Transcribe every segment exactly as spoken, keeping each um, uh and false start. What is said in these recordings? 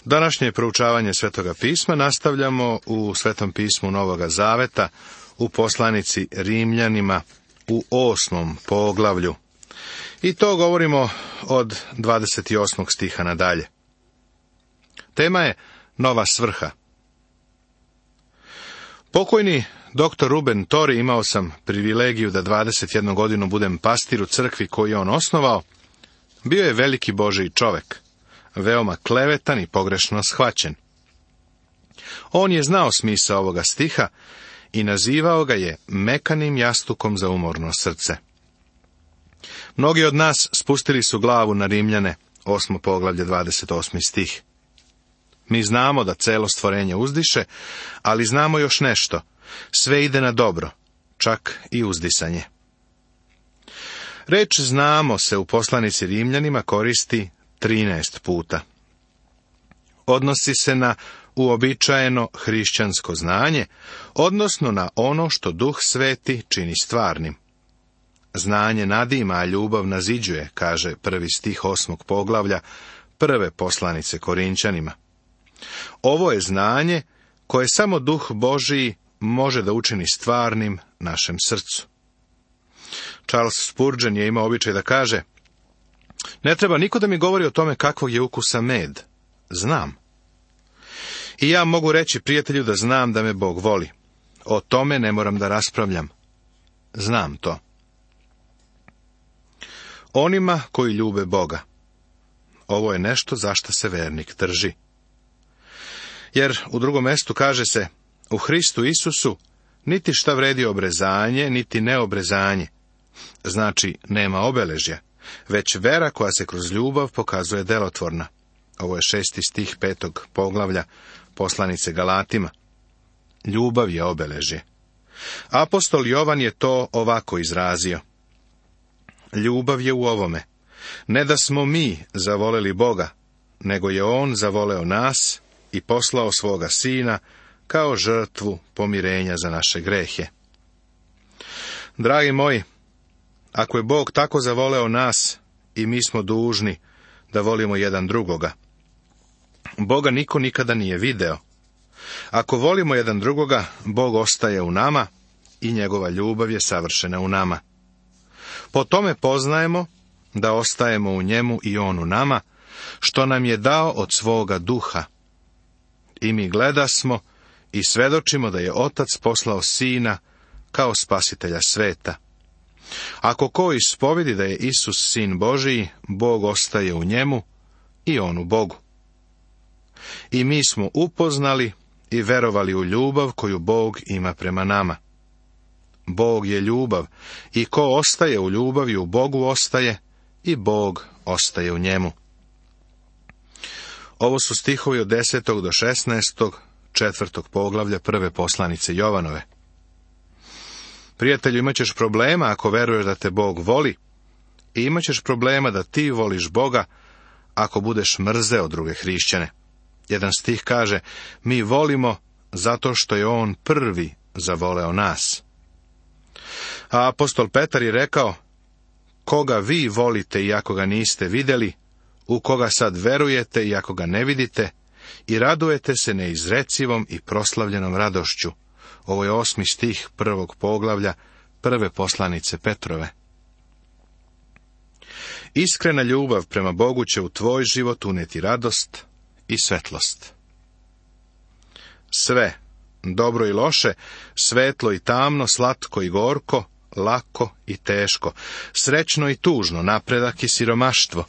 Današnje proučavanje Svetoga pisma nastavljamo u Svetom pismu Novoga Zaveta, u poslanici Rimljanima, u osmom poglavlju. I to govorimo od dvadeset osmog stiha nadalje. Tema je nova svrha. Pokojni doktor Ruben Tori, imao sam privilegiju da dvadeset jednu godinu budem pastir u crkvi koju je on osnovao, bio je veliki Božji čovek, veoma klevetan i pogrešno shvaćen. On je znao smisao ovoga stiha i nazivao ga je mekanim jastukom za umorno srce. Mnogi od nas spustili su glavu na Rimljane, osmo poglavlje, dvadeset osmi stih. Mi znamo da celo stvorenje uzdiše, ali znamo još nešto. Sve ide na dobro, čak i uzdisanje. Reč znamo se u poslanici Rimljanima koristi trinaest puta. Odnosi se na uobičajeno hrišćansko znanje, odnosno na ono što Duh Sveti čini stvarnim. Znanje nadima, a ljubav naziđuje, kaže prvi stih osmog poglavlja prve poslanice Korinćanima. Ovo je znanje koje samo Duh Božiji može da učini stvarnim našem srcu. Charles Spurgeon je imao običaj da kaže: ne treba niko da mi govori o tome kakvog je ukusa med. Znam. I ja mogu reći prijatelju da znam da me Bog voli. O tome ne moram da raspravljam. Znam to. Onima koji ljube Boga. Ovo je nešto za što se vernik drži. Jer u drugom mestu kaže se: u Hristu Isusu niti šta vredi obrezanje, niti neobrezanje. Znači, nema obeležja, već vera koja se kroz ljubav pokazuje delotvorna. Ovo je šesti stih petog poglavlja poslanice Galatima. Ljubav je obeležje. Apostol Jovan je to ovako izrazio: ljubav je u ovome, ne da smo mi zavoleli Boga, nego je On zavoleo nas i poslao svoga Sina kao žrtvu pomirenja za naše grehe. Dragi moji, ako je Bog tako zavoleo nas, i mi smo dužni da volimo jedan drugoga. Boga niko nikada nije video. Ako volimo jedan drugoga, Bog ostaje u nama i njegova ljubav je savršena u nama. Po tome poznajemo da ostajemo u njemu i on u nama, što nam je dao od svoga duha. I mi gledasmo i svedočimo da je Otac poslao Sina kao spasitelja sveta. Ako ko ispovedi da je Isus Sin Božiji, Bog ostaje u njemu i on u Bogu. I mi smo upoznali i verovali u ljubav koju Bog ima prema nama. Bog je ljubav i ko ostaje u ljubavi u Bogu ostaje i Bog ostaje u njemu. Ovo su stihovi od desetog do šesnaestog, četvrtog poglavlja prve poslanice Jovanove. Prijatelju, imat ćeš problema ako veruješ da te Bog voli, i imat ćeš problema da ti voliš Boga ako budeš mrzeo druge hrišćane. Jedan stih kaže: mi volimo zato što je On prvi zavoleo nas. A apostol Petar je rekao: koga vi volite iako ga niste vidjeli, u koga sad verujete iako ga ne vidite, i radujete se neizrecivom i proslavljenom radošću. Ovo je osmi stih prvog poglavlja prve poslanice Petrove. Iskrena ljubav prema Bogu će u tvoj život uneti radost i svetlost. Sve, dobro i loše, svetlo i tamno, slatko i gorko, lako i teško, srećno i tužno, napredak i siromaštvo,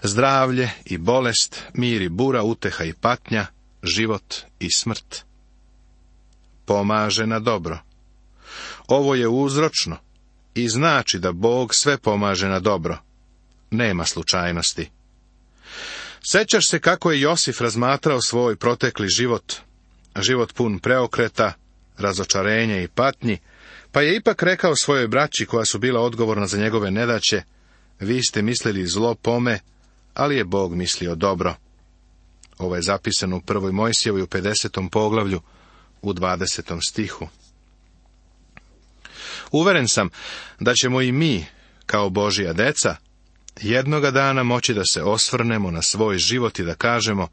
zdravlje i bolest, mir i bura, uteha i patnja, život i smrt. Pomaže na dobro. Ovo je uzročno i znači da Bog sve pomaže na dobro. Nema slučajnosti. Sećaš se kako je Josif razmatrao svoj protekli život, život pun preokreta, razočarenja i patnji, pa je ipak rekao svojoj braći koja su bila odgovorna za njegove nedaće: vi ste mislili zlo pome, ali je Bog mislio dobro. Ovo je zapisano u prvoj Mojsijevoj u pedesetom poglavlju u dvadesetom stihu. Uveren sam da ćemo i mi, kao Božja deca, jednoga dana moći da se osvrnemo na svoj život i da kažemo: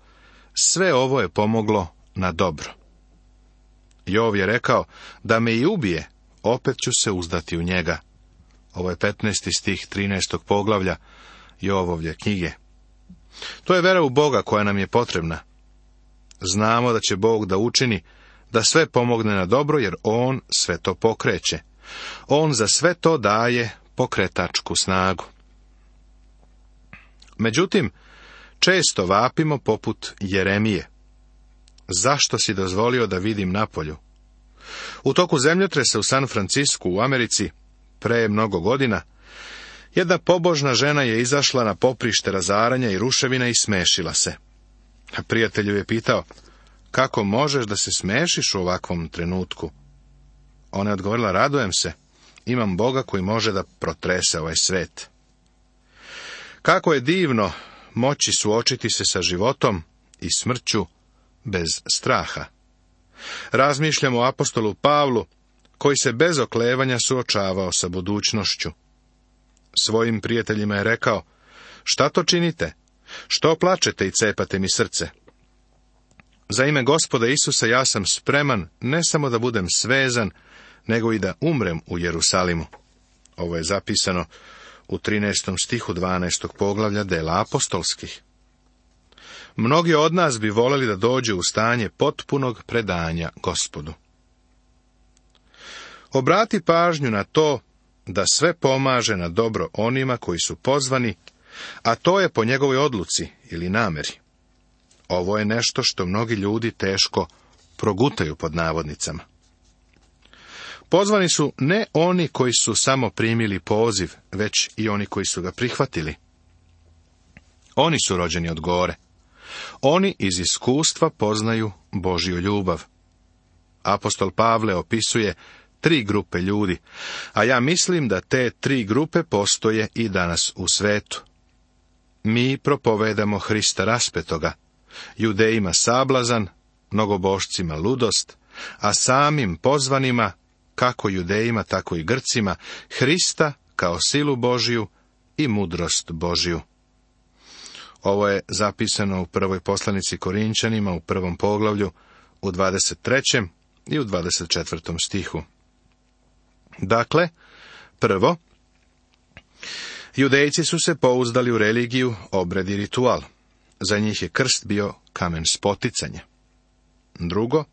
sve ovo je pomoglo na dobro. Jov je rekao, da me i ubije, opet ću se uzdati u njega. Ovo je petnaesti stih trinaestog poglavlja Jovovlje knjige. To je vera u Boga koja nam je potrebna. Znamo da će Bog da učini da sve pomogne na dobro, jer On sve to pokreće. On za sve to daje pokretačku snagu. Međutim, često vapimo poput Jeremije. Zašto si dozvolio da vidim napolju? U toku zemljotresa u San Francisku u Americi, pre mnogo godina, jedna pobožna žena je izašla na poprište razaranja i ruševina i smešila se. A prijatelj ju je pitao, kako možeš da se smešiš u ovakvom trenutku? Ona je odgovorila, radujem se, imam Boga koji može da protrese ovaj svet. Kako je divno moći suočiti se sa životom i smrću bez straha. Razmišljam o apostolu Pavlu, koji se bez oklevanja suočavao sa budućnošću. Svojim prijateljima je rekao, šta to činite? Što plačete i cepate mi srce? Za ime Gospoda Isusa ja sam spreman ne samo da budem svezan, nego i da umrem u Jerusalimu. Ovo je zapisano u trinaestom stihu dvanaestog poglavlja Dela apostolskih. Mnogi od nas bi voleli da dođu u stanje potpunog predanja Gospodu. Obrati pažnju na to da sve pomaže na dobro onima koji su pozvani, a to je po njegovoj odluci ili nameri. Ovo je nešto što mnogi ljudi teško progutaju pod navodnicama. Pozvani su ne oni koji su samo primili poziv, već i oni koji su ga prihvatili. Oni su rođeni od gore. Oni iz iskustva poznaju Božju ljubav. Apostol Pavle opisuje tri grupe ljudi, a ja mislim da te tri grupe postoje i danas u svetu. Mi propovedamo Hrista raspetoga, Judejima sablazan, mnogobošcima ludost, a samim pozvanima, kako Judejima, tako i Grcima, Hrista kao silu Božju i mudrost Božju. Ovo je zapisano u prvoj poslanici Korinčanima u prvom poglavlju, u dvadeset trećem i u dvadeset četvrtom stihu. Dakle, prvo, Judejci su se pouzdali u religiju, obred i ritual. Za njih je krst bio kamen spoticanja. Drugo,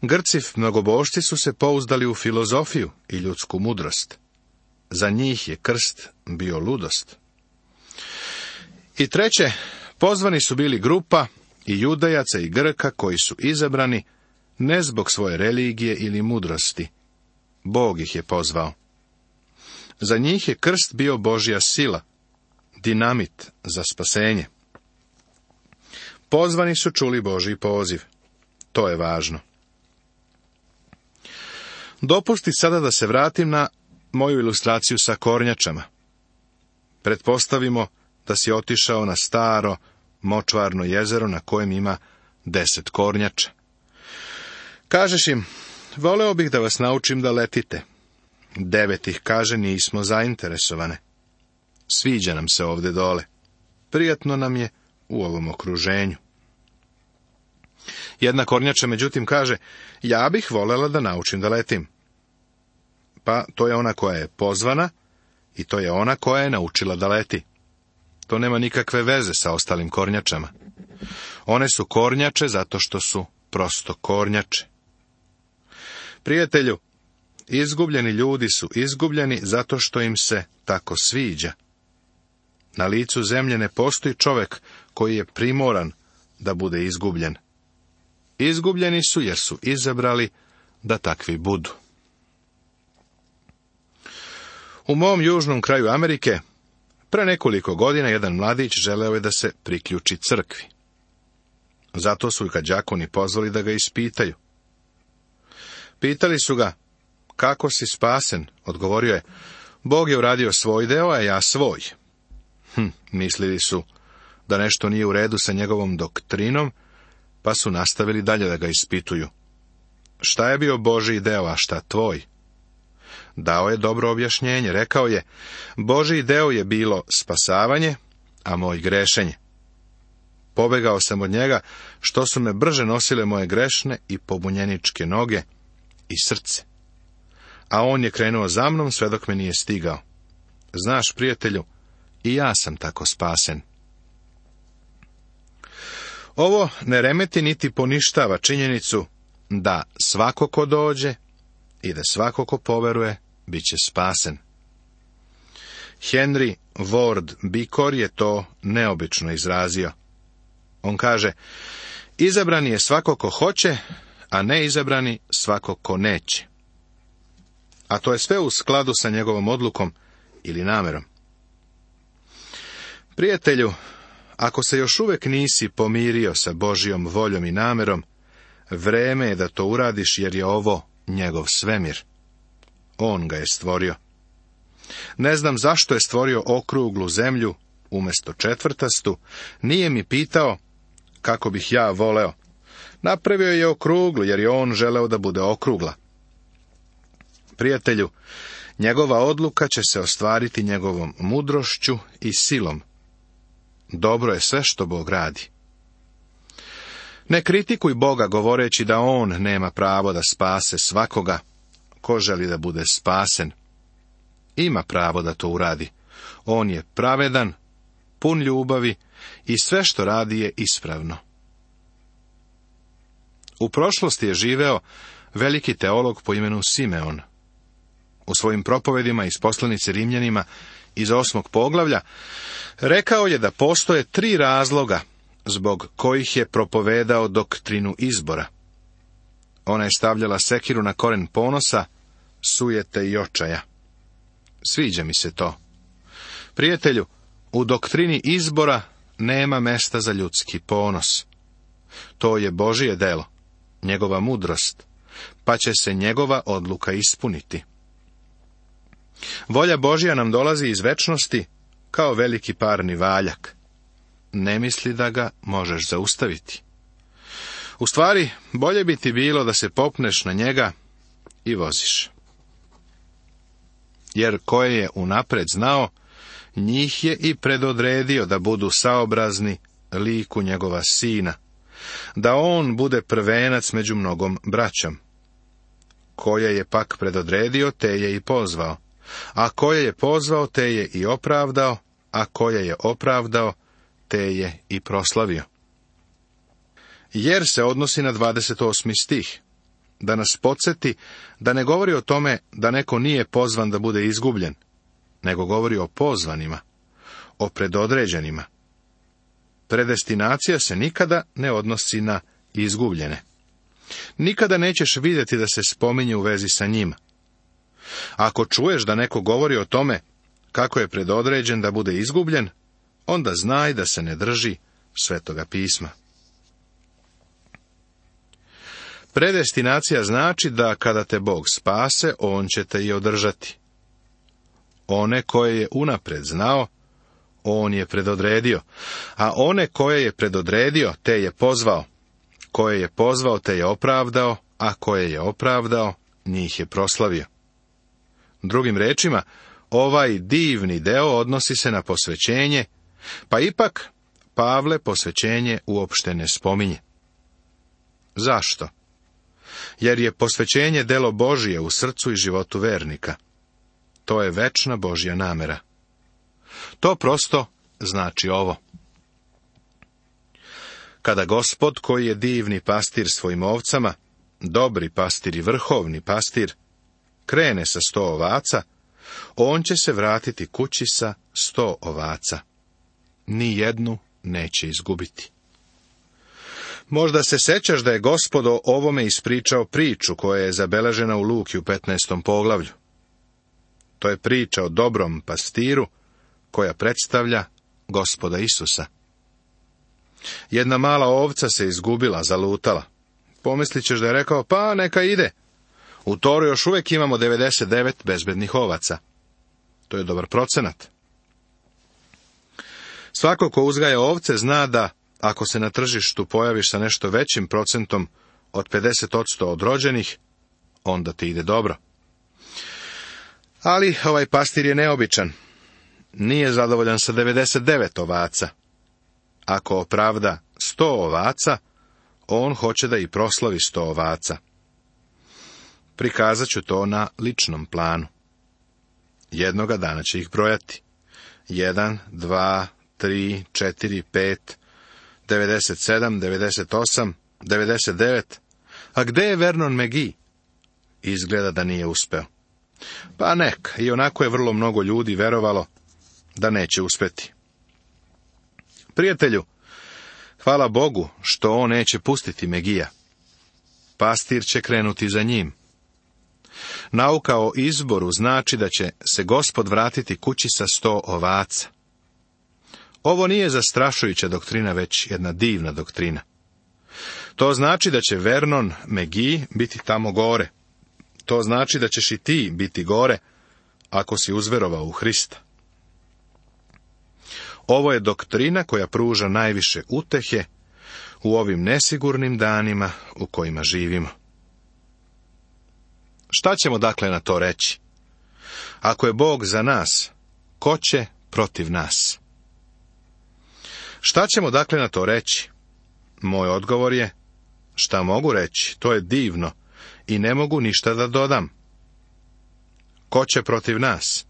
Grci mnogobošci su se pouzdali u filozofiju i ljudsku mudrost. Za njih je krst bio ludost. I treće, pozvani su bili grupa i Judajaca i Grka koji su izabrani ne zbog svoje religije ili mudrosti. Bog ih je pozvao. Za njih je krst bio Božja sila, dinamit za spasenje. Pozvani su čuli Božji poziv. To je važno. Dopusti sada da se vratim na moju ilustraciju sa kornjačama. Pretpostavimo da si otišao na staro, močvarno jezero na kojem ima deset kornjača. Kažeš im, voleo bih da vas naučim da letite. Devet ih kaže, nismo zainteresovane. Sviđa nam se ovde dole. Prijatno nam je u ovom okruženju. Jedna kornjača međutim kaže, ja bih volela da naučim da letim. Pa to je ona koja je pozvana i to je ona koja je naučila da leti. To nema nikakve veze sa ostalim kornjačama. One su kornjače zato što su prosto kornjače. Prijatelju, izgubljeni ljudi su izgubljeni zato što im se tako sviđa. Na licu zemlje ne postoji čovjek koji je primoran da bude izgubljen. Izgubljeni su jer su izabrali da takvi budu. U mom južnom kraju Amerike, pre nekoliko godina jedan mladić želeo je da se priključi crkvi. Zato su ga đakoni pozvali da ga ispitaju. Pitali su ga, kako si spasen? Odgovorio je, Bog je uradio svoj deo, a ja svoj. Hm, mislili su da nešto nije u redu sa njegovom doktrinom, pa su nastavili dalje da ga ispituju. Šta je bio Božji deo, a šta tvoj? Dao je dobro objašnjenje, rekao je, Božji deo je bilo spasavanje, a moj grešenje. Pobegao sam od njega, što su me brže nosile moje grešne i pobunjeničke noge i srce. A on je krenuo za mnom sve dok me nije stigao. Znaš, prijatelju, i ja sam tako spasen. Ovo ne remeti niti poništava činjenicu da svako ko dođe i da svako ko poveruje, bit će spasen. Henry Ward Beecher je to neobično izrazio. On kaže, izabrani je svako ko hoće, a neizabrani svako ko neće. A to je sve u skladu sa njegovom odlukom ili namerom. Prijatelju, ako se još uvijek nisi pomirio sa Božjom voljom i namerom, vreme je da to uradiš, jer je ovo njegov svemir. On ga je stvorio. Ne znam zašto je stvorio okruglu zemlju umjesto četvrtastu, nije mi pitao kako bih ja voleo. Napravio je okruglu, jer je on želeo da bude okrugla. Prijatelju, njegova odluka će se ostvariti njegovom mudrošću i silom. Dobro je sve što Bog radi. Ne kritikuj Boga govoreći da on nema pravo da spase svakoga ko želi da bude spasen. Ima pravo da to uradi. On je pravedan, pun ljubavi i sve što radi je ispravno. U prošlosti je živeo veliki teolog po imenu Simeon. U svojim propovedima iz poslanice Rimljanima iz osmog poglavlja rekao je da postoje tri razloga zbog kojih je propovedao doktrinu izbora. Ona je stavljala sekiru na koren ponosa, sujete i očaja. Sviđa mi se to. Prijatelju, u doktrini izbora nema mesta za ljudski ponos. To je Božije delo, njegova mudrost, pa će se njegova odluka ispuniti. Volja Božja nam dolazi iz večnosti kao veliki parni valjak. Ne misli da ga možeš zaustaviti. U stvari, bolje bi ti bilo da se popneš na njega i voziš. Jer koje je unapred znao, njih je i predodredio da budu saobrazni liku njegova sina, da on bude prvenac među mnogom braćom. Koje je pak predodredio, te je i pozvao, a koje je pozvao, te je i opravdao, a koje je opravdao, te je i proslavio. Jer se odnosi na dvadeset osmi stih, da nas podsjeti da ne govori o tome da neko nije pozvan da bude izgubljen, nego govori o pozvanima, o predodređenima. Predestinacija se nikada ne odnosi na izgubljene. Nikada nećeš vidjeti da se spominje u vezi sa njima. Ako čuješ da neko govori o tome kako je predodređen da bude izgubljen, onda znaj da se ne drži Svetoga pisma. Predestinacija znači da kada te Bog spase, on će te i održati. One koje je unapred znao, on je predodredio, a one koje je predodredio, te je pozvao. Koje je pozvao, te je opravdao, a koje je opravdao, njih je proslavio. Drugim rečima, ovaj divni deo odnosi se na posvećenje, pa ipak Pavle posvećenje uopšte ne spominje. Zašto? Jer je posvećenje delo Božije u srcu i životu vernika. To je večna Božja namera. To prosto znači ovo. Kada Gospod, koji je divni pastir svojim ovcama, dobri pastir i vrhovni pastir, krene sa sto ovaca, on će se vratiti kući sa sto ovaca. Ni jednu neće izgubiti. Možda se sećaš da je Gospod o ovome ispričao priču koja je zabeležena u Luki u petnaestom poglavlju. To je priča o dobrom pastiru koja predstavlja Gospoda Isusa. Jedna mala ovca se izgubila, zalutala. Pomislit ćeš da je rekao, pa neka ide. U Toru još uvijek imamo devedeset devet bezbednih ovaca. To je dobar procenat. Svako ko uzgaja ovce zna da, ako se na tržištu pojaviš sa nešto većim procentom od pedeset posto od rođenih, onda ti ide dobro. Ali ovaj pastir je neobičan. Nije zadovoljan sa devedeset devet ovaca. Ako opravda sto ovaca, on hoće da i proslavi sto ovaca. Prikazat ću to na ličnom planu. Jednoga dana će ih brojati. Jedan, dva, tri, četiri, pet, devedeset sedam, devedeset osam, devedeset devet. A gde je Vernon McGee? Izgleda da nije uspeo. Pa nek, i onako je vrlo mnogo ljudi verovalo da neće uspeti. Prijatelju, hvala Bogu što on neće pustiti Megija. Pastir će krenuti za njim. Nauka o izboru znači da će se Gospod vratiti kući sa sto ovaca. Ovo nije zastrašujuća doktrina, već jedna divna doktrina. To znači da će Vernon McGee biti tamo gore. To znači da ćeš i ti biti gore, ako si uzverovao u Hrista. Ovo je doktrina koja pruža najviše utehe u ovim nesigurnim danima u kojima živimo. Šta ćemo dakle na to reći? Ako je Bog za nas, ko će protiv nas? Šta ćemo dakle na to reći? Moj odgovor je, šta mogu reći, to je divno i ne mogu ništa da dodam. Ko će protiv nas?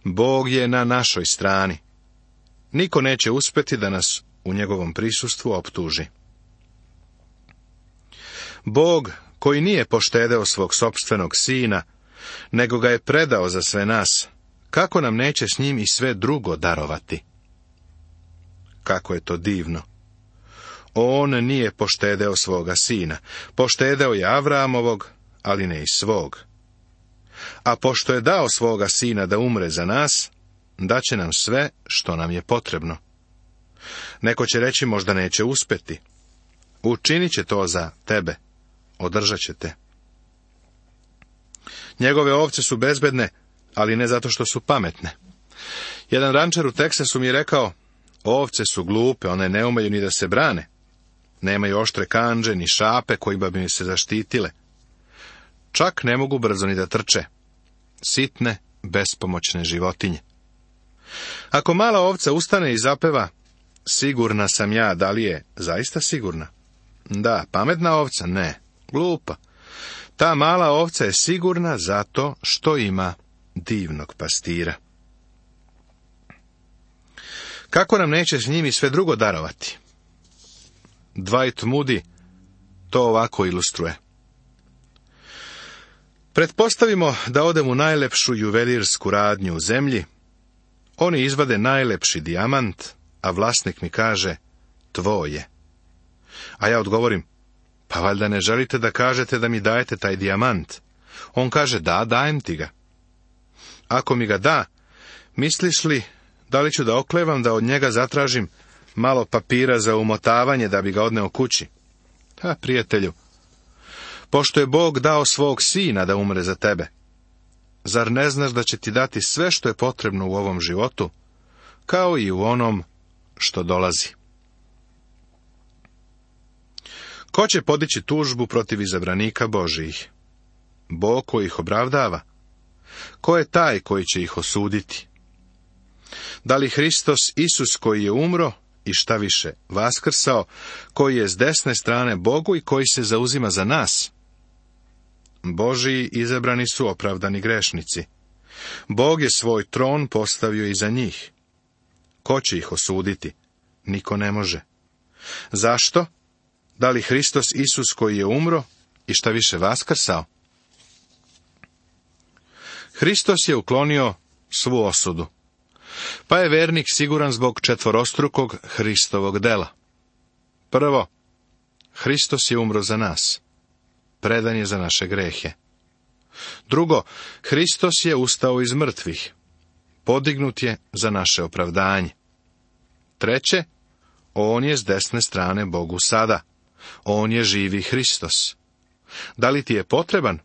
Bog je na našoj strani. Niko neće uspjeti da nas u njegovom prisustvu optuži. Bog, koji nije poštedeo svog sopstvenog sina, nego ga je predao za sve nas, kako nam neće s njim i sve drugo darovati? Kako je to divno! On nije poštedeo svoga sina, poštedeo je Avramovog, ali ne i svog. A pošto je dao svoga sina da umre za nas, daće nam sve što nam je potrebno. Neko će reći, možda neće uspjeti. Učinit će to za tebe, održat će te. Njegove ovce su bezbedne, ali ne zato što su pametne. Jedan rančar u Teksasu mi je rekao, ovce su glupe, one ne umeju ni da se brane. Nemaju oštre kandže, ni šape kojima bi mi se zaštitile. Čak ne mogu brzo ni da trče. Sitne, bespomoćne životinje. Ako mala ovca ustane i zapeva, sigurna sam ja, da li je zaista sigurna? Da, pametna ovca? Ne, glupa. Ta mala ovca je sigurna zato što ima divnog pastira. Kako nam neće s njimi sve drugo darovati? Dwight Moody to ovako ilustruje. Pretpostavimo da odem u najlepšu juvelirsku radnju u zemlji, oni izvade najlepši dijamant, a vlasnik mi kaže, tvoj je. A ja odgovorim, pa valjda ne želite da kažete da mi dajete taj dijamant? On kaže, da, dajem ti ga. Ako mi ga da, misliš li da li ću da oklevam da od njega zatražim malo papira za umotavanje da bi ga odneo kući? Ha, prijatelju, pošto je Bog dao svog sina da umre za tebe, zar ne znaš da će ti dati sve što je potrebno u ovom životu, kao i u onom što dolazi? Ko će podići tužbu protiv izabranika Božijih? Bog koji ih opravdava? Ko je taj koji će ih osuditi? Da li Hristos Isus koji je umro i šta više vaskrsao, koji je s desne strane Bogu i koji se zauzima za nas? Božiji izabrani su opravdani grešnici. Bog je svoj tron postavio i za njih. Ko će ih osuditi? Niko ne može. Zašto? Da li Hristos Isus koji je umro i šta više vaskrsao? Hristos je uklonio svu osudu, pa je vernik siguran zbog četvorostrukog Hristovog dela. Prvo, Hristos je umro za nas, predan je za naše grehe. Drugo, Hristos je ustao iz mrtvih, podignut je za naše opravdanje. Treće, on je s desne strane Bogu sada, on je živi Hristos. Da li ti je potreban?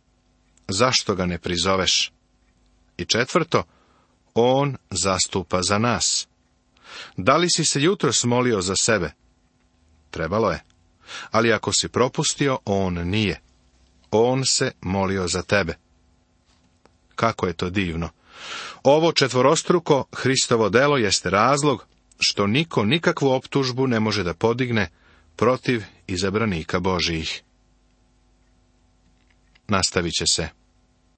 Zašto ga ne prizoveš? I četvrto, on zastupa za nas. Da li si se jutros molio za sebe? Trebalo je. Ali ako si propustio, on nije. On se molio za tebe. Kako je to divno! Ovo četvorostruko Hristovo delo jeste razlog što niko nikakvu optužbu ne može da podigne protiv izabranika Božijih. Nastavit će se.